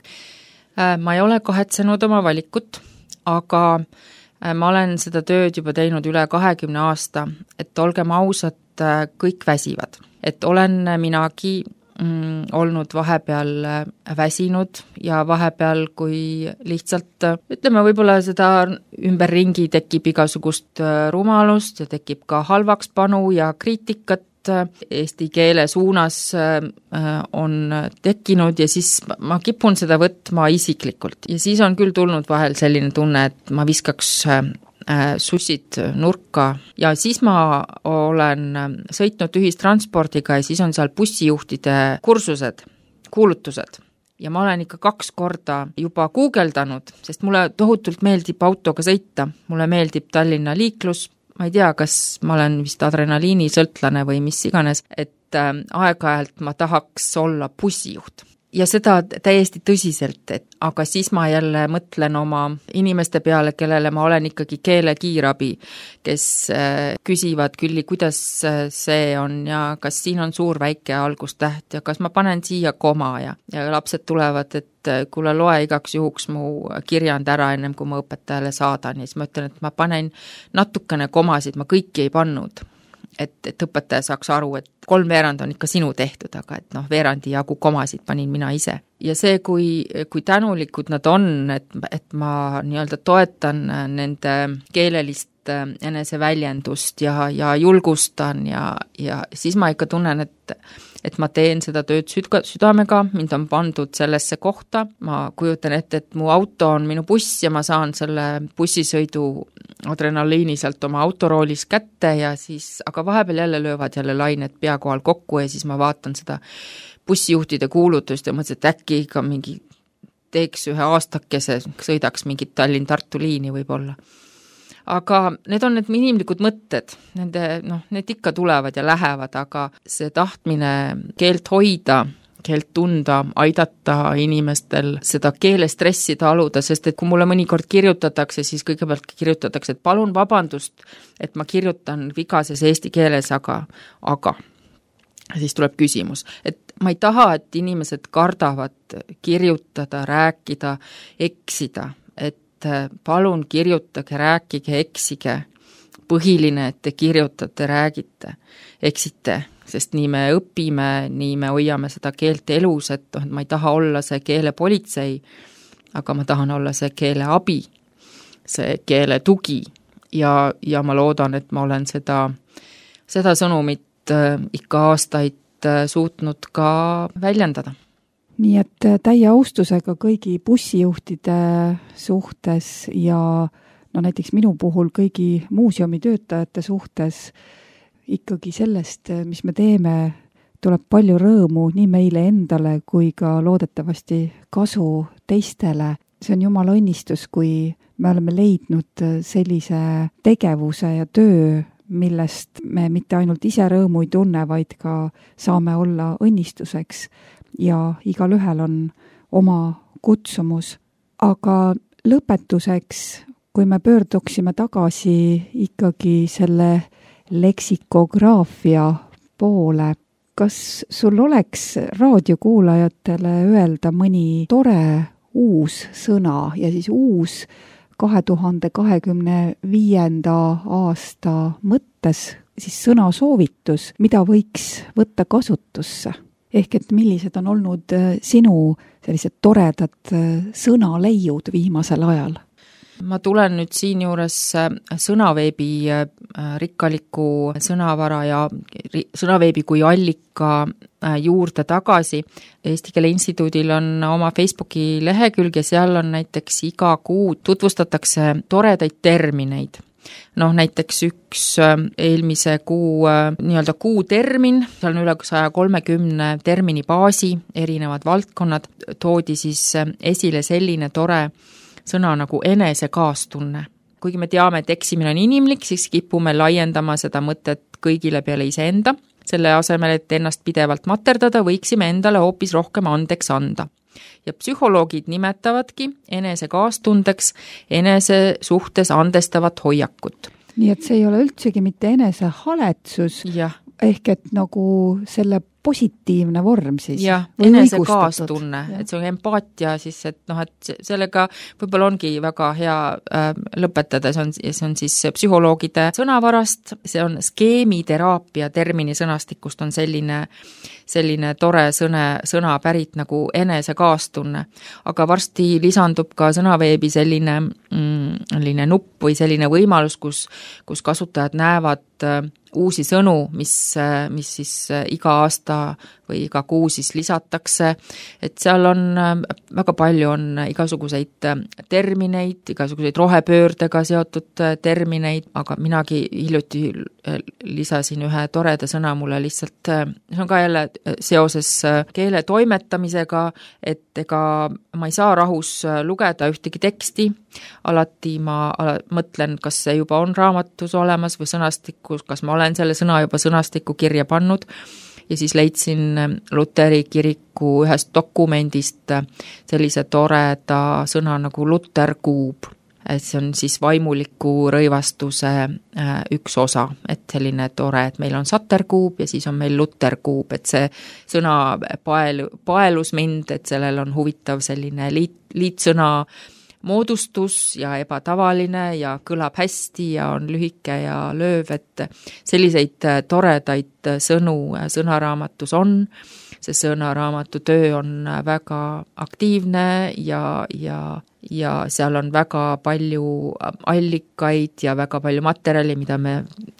S3: Ma ei ole kahetsenud oma valikut, aga ma olen seda tööd juba teinud üle 20 aasta, et olgem ausad, kõik väsivad. Et olen minagi olnud vahepeal väsinud ja vahepeal, kui lihtsalt, ütleme, võib-olla seda ümberringi tekib igasugust rumalust ja tekib ka halvakspanu ja kriitikat eesti keele suunas on tekkinud ja siis ma kipun seda võtma isiklikult. Ja siis on küll tulnud vahel selline tunne, et ma viskaks sussid nurka ja siis ma olen sõitnud ühistranspordiga ja siis on seal bussijuhtide kursused, kuulutused. Ja ma olen ikka 2 korda juba guugeldanud, sest mulle tohutult meeldib autoga sõita, mulle meeldib Tallinna liiklus, ma ei tea, kas ma olen vist adrenaliinisõltlane või mis iganes, et aeg-ajalt ma tahaks olla bussijuht. Ja seda täiesti tõsiselt, aga siis ma jälle mõtlen oma inimeste peale, kellele ma olen ikkagi keelekiirabi, kes küsivad Külli, kuidas see on ja kas siin on suur väike algustäht ja kas ma panen siia koma ja lapsed tulevad, et kuule loe igaks juhuks mu kirjand ära ennem kui ma õpetajale saadan ja siis ma ütlen, et ma panen natukene komasid, ma kõiki ei pannud. Et õpetaja saaks aru, et 3/4 on ikka sinu tehtud, aga et veerandi jagu komasid panin mina ise. Ja see, kui tänulikud nad on, et ma nii-öelda toetan nende keelelist eneseväljendust ja julgustan ja siis ma ikka tunnen, et ma teen seda tööd südamega, mind on pandud sellesse kohta, ma kujutan ette, et mu auto on minu buss ja ma saan selle bussisõidu adrenaliini sealt oma autoroolis kätte ja siis, aga vahepeal jälle löövad jälle lained pea kohal kokku ja siis ma vaatan seda bussijuhtide kuulutust ja mõtlesin, et äkki ikka mingi teeks ühe aastakese, sõidaks mingit Tallinn-Tartu liini võib-olla. Aga need on need inimlikud mõtted, need ikka tulevad ja lähevad, aga see tahtmine keelt hoida, keelt tunda, aidata inimestel seda keelestressi taluda, sest et kui mulle mõnikord kirjutatakse, siis kõigepealt kirjutatakse, et palun vabandust, et ma kirjutan vigases eesti keeles, aga siis tuleb küsimus, et ma ei taha, et inimesed kardavad kirjutada, rääkida, eksida, et palun kirjutage, rääkige, eksige. Põhiline, et te kirjutate, räägite, eksite, sest nii me õpime, nii me hoiame seda keelt elus, et ma ei taha olla see keelepolitsei, aga ma tahan olla see keele abi, see keele tugi, ja ma loodan, et ma olen seda sõnumit ikka aastaid suutnud ka väljendada.
S2: Nii et täie austusega kõigi bussijuhtide suhtes ja näiteks minu puhul kõigi muuseumi töötajate suhtes ikkagi sellest, mis me teeme, tuleb palju rõõmu nii meile endale kui ka loodetavasti kasu teistele. See on Jumala õnnistus, kui me oleme leidnud sellise tegevuse ja töö, millest me mitte ainult ise rõõmu ei tunne, vaid ka saame olla õnnistuseks ja igalühel on oma kutsumus. Aga lõpetuseks, kui me pöörduksime tagasi ikkagi selle leksikograafia poole, kas sul oleks raadiokuulajatele öelda mõni tore uus sõna ja siis uus 2025. aasta mõttes siis sõnasoovitus, mida võiks võtta kasutusse? Ehk et millised on olnud sinu sellised toredad sõnaleiud viimasel ajal?
S3: Ma tulen nüüd siin juures sõnaveebi rikkaliku sõnavara ja sõnaveebi kui allika juurde tagasi. Eesti Keele Instituudil on oma Facebooki lehekülg ja seal on näiteks iga kuu tutvustatakse toredaid termineid. Näiteks üks eelmise kuu nii-öelda kuutermin, seal on üle 130 termini baasi, erinevad valdkonnad, toodi siis esile selline tore sõna nagu enesekaastunne. Kuigi me teame, et eksimine on inimlik, siis kipume laiendama seda mõtet kõigile peale iseenda. Selle asemel, et ennast pidevalt materdada, võiksime endale hoopis rohkem andeks anda. Ja psühholoogid nimetavadki enesekaastundeks enese suhtes andestavat hoiakut.
S2: Nii et see ei ole üldsegi mitte enesehaletsus, ehk et nagu selle positiivne vorm siis.
S3: Jah, enesekaastunne, et see on empaatia siis, et et sellega võib-olla ongi väga hea lõpetada, see on siis psühholoogide sõnavarast, see on skeemiteraapia termini sõnastikust on selline tore sõna pärit nagu enesekaastunne, aga varsti lisandub ka sõnaveebi selline nupp või selline võimalus, kus kasutajad näevad uusi sõnu, mis siis iga aasta või iga kuu siis lisatakse, et seal on väga palju on igasuguseid termineid, igasuguseid rohepöördega seotud termineid, aga minagi hiljuti lisasin ühe toreda sõna mulle lihtsalt, see on ka jälle seoses keele toimetamisega, et ega ma ei saa rahus lugeda ühtegi teksti, alati ma mõtlen, kas see juba on raamatus olemas või sõnastikus, kas ma olen selle sõna juba sõnastikku kirja pannud ja siis leidsin Luteri kiriku ühest dokumendist sellise toreda sõna nagu luterkuub. See on siis vaimuliku rõivastuse üks osa, et selline tore, et meil on saterkuub ja siis on meil luterkuub, et see sõna paelus mind, et sellel on huvitav selline liitsõna moodustus ja ebatavaline ja kõlab hästi ja on lühike ja lööv, et selliseid toredaid sõnu sõnaraamatus on. See sõnaraamatu töö on väga aktiivne ja seal on väga palju allikaid ja väga palju materjali, mida me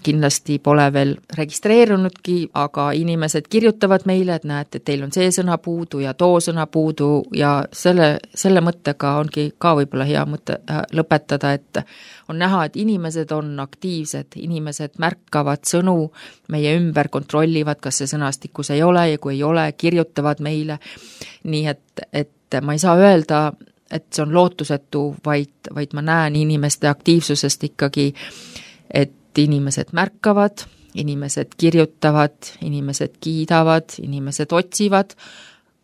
S3: kindlasti pole veel registreerunudki, aga inimesed kirjutavad meile, et näete, et teil on see sõna puudu ja too sõna puudu ja selle mõttega ongi ka võib-olla hea mõte lõpetada, et on näha, et inimesed on aktiivsed, inimesed märkavad sõnu meie ümber, kontrollivad, kas see sõnastikus ei ole ja kui ei ole, kirjutavad meile. Nii et ma ei saa öelda, et see on lootusetu, vaid ma näen inimeste aktiivsusest ikkagi, et inimesed märkavad, inimesed kirjutavad, inimesed kiidavad, inimesed otsivad,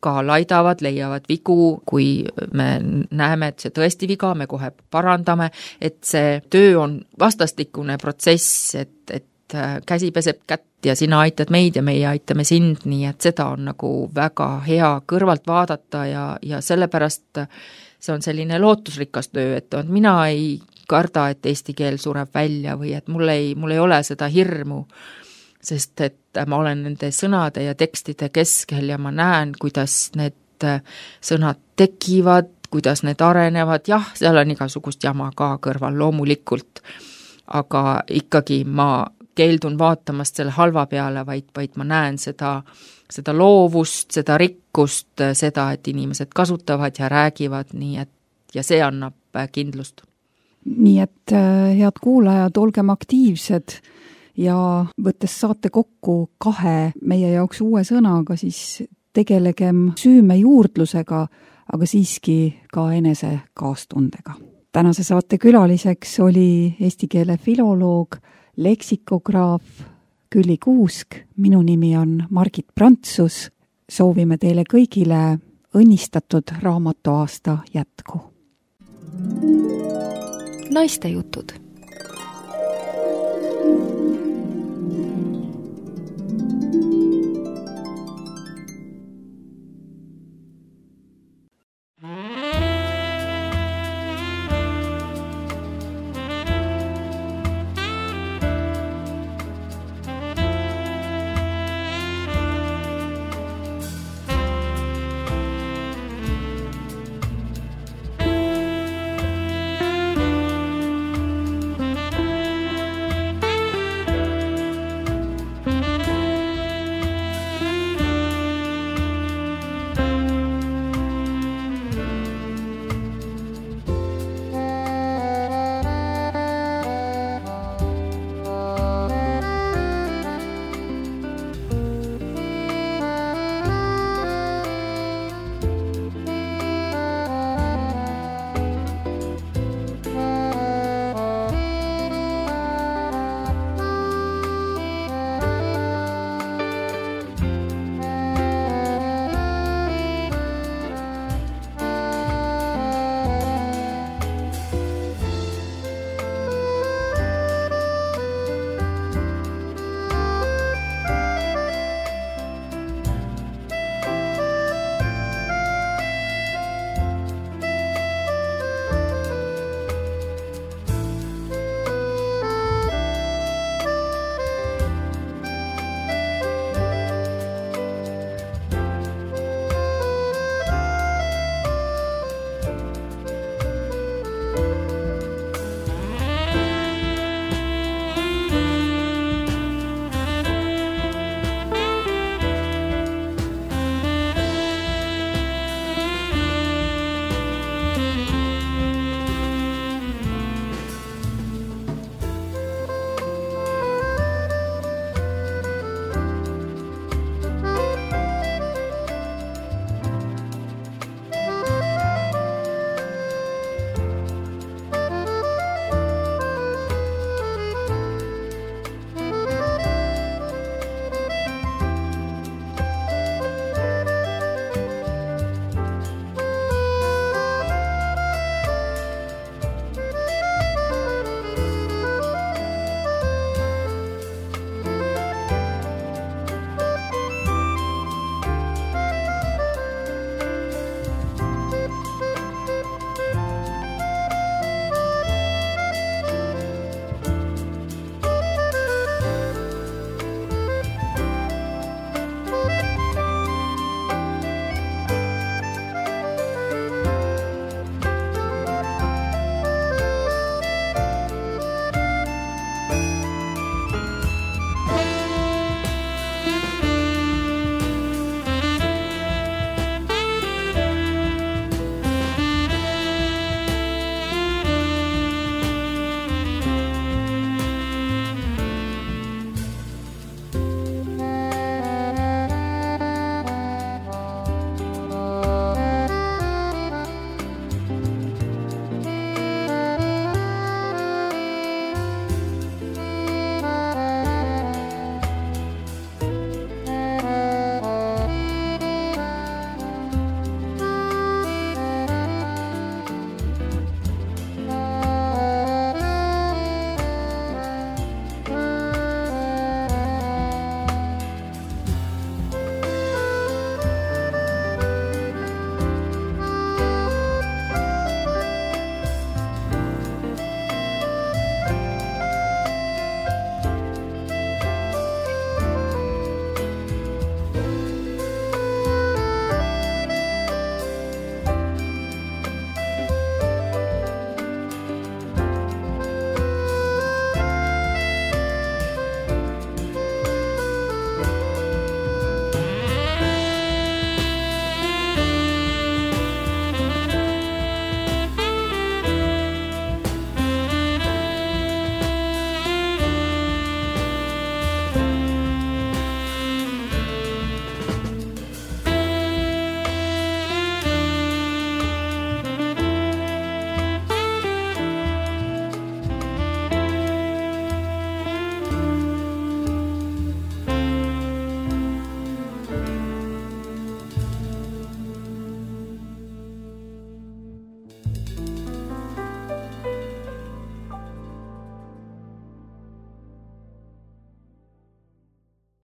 S3: ka laidavad, leiavad vigu, kui me näeme, et see tõesti viga, me kohe parandame, et see töö on vastastikune protsess, et käsi peseb kätt ja sina aitad meid ja meie aitame sind, nii et seda on nagu väga hea kõrvalt vaadata ja sellepärast see on selline lootusrikas töö, et mina ei karda, et eesti keel sureb välja või et mul ei ole seda hirmu, sest et ma olen nende sõnade ja tekstide keskel ja ma näen, kuidas need sõnad tekivad, kuidas need arenevad, jah, seal on igasugust jama ka kõrval loomulikult, aga ikkagi ma keeldun vaatamast selle halva peale, vaid ma näen seda loovust, seda rikkust, seda, et inimesed kasutavad ja räägivad, nii et ja see annab kindlust.
S2: Nii et head kuulajad, olgem aktiivsed ja võttes saate kokku 2 meie jaoks uue sõnaga, siis tegelegem süümejuurdlusega, aga siiski ka enese kaastundega. Tänase saate külaliseks oli eesti keele filoloog, leksikograaf Külli Kuusk, minu nimi on Margit Prantsus, soovime teile kõigile õnnistatud raamatuaasta jätku.
S1: Naistejutud.